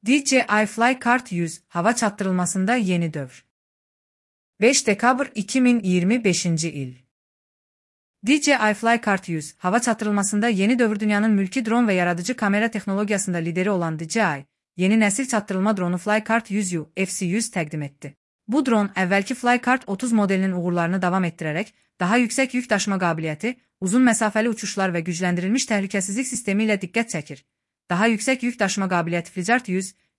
DJI Flycart 100 hava çatdırılmasında yeni dövr. 5 dekabr 2025 il. DJI Flycart 100 hava çatdırılmasında yeni dövr. Dünyanın mülki dron ve yaradıcı kamera teknolojisinde lideri olan DJI, yeni nesil çatdırılma dronu Flycart 100U FC100 təqdim etdi. Bu dron, əvvəlki Flycart 30 modelinin uğurlarını davam etdirərək, daha yüksək yük daşıma qabiliyyəti, uzun məsafəli uçuşlar və gücləndirilmiş təhlükəsizlik sistemi ilə diqqət çəkir. Daha yüksək yük daşıma qabiliyyəti Flycart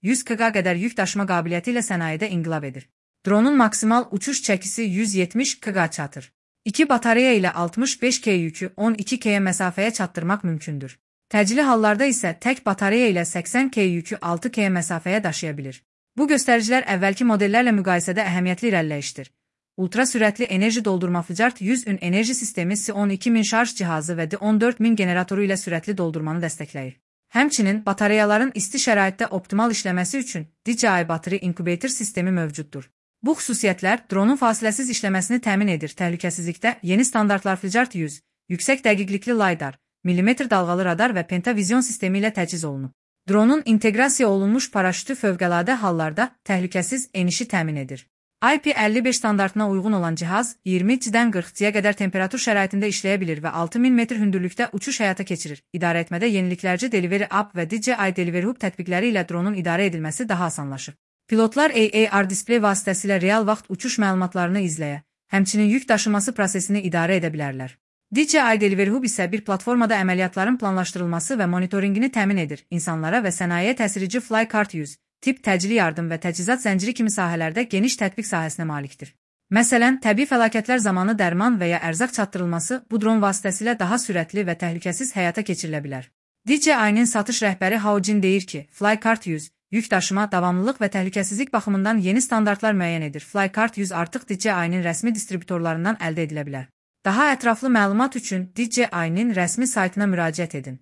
100 kg qədər yük daşıma qabiliyyəti ilə sənayedə inqilab edir. Dronun maksimal uçuş çəkisi 170 kg çatır. 2 batareya ilə 65 k yükü 12 k məsafəyə çatdırmaq mümkündür. Təcili hallarda isə tək batareya ilə 80 k yükü 6 k məsafəyə daşıya bilir. Bu göstəricilər əvvəlki modellərlə müqayisədə əhəmiyyətli irəliləyişdir. Ultra sürətli enerji doldurma Flycart 100'ün enerji sistemi Si-12000 şarj cihazı və D14000 generatoru ilə sürətli doldurmanı dəstəkləyir. Həmçinin batareyaların isti şəraitdə optimal işləməsi üçün DJI Battery Incubator sistemi mövcuddur. Bu xüsusiyyətlər dronun fasiləsiz işləməsini təmin edir. Təhlükəsizlikdə yeni standartlar Flycart 100, yüksək dəqiqlikli LiDAR, millimetr dalğalı radar və pentavizyon sistemi ilə təchiz olunub. Dronun inteqrasiya olunmuş paraşütü fövqəladə hallarda təhlükəsiz enişi təmin edir. IP55 standartına uyğun olan cihaz 20-dən 40'ya qədər temperatur şəraitində işləyə bilir və 6000 metr hündürlükdə uçuş həyata keçirir. İdarəetmədə yeniliklərci Delivery App və DJI Delivery Hub tətbiqləri ilə dronun idarə edilməsi daha asanlaşır. Pilotlar AR displey vasitəsilə real vaxt uçuş məlumatlarını izləyə, həmçinin yük daşıması prosesini idarə edə bilərlər. DJI Delivery Hub isə bir platformada əməliyyatların planlaşdırılması və monitorinqini təmin edir. İnsanlara və sənayeyə təsirici Flycart 100 tip təcili yardım və təchizat zənciri kimi sahələrdə geniş tətbiq sahəsinə malikdir. Məsələn, təbii fəlakətlər zamanı dərman və ya ərzaq çatdırılması bu dron vasitəsilə daha sürətli və təhlükəsiz həyata keçirilə bilər. DJI-nin satış rəhbəri Hao Jin deyir ki, Flycart 100 yük daşıma, davamlılıq və təhlükəsizlik baxımından yeni standartlar müəyyən edir. Flycart 100 artıq DJI-nin rəsmi distributorlarından əldə edilə bilər. Daha ətraflı məlumat üçün DJI-nin rəsmi saytına müraciət edin.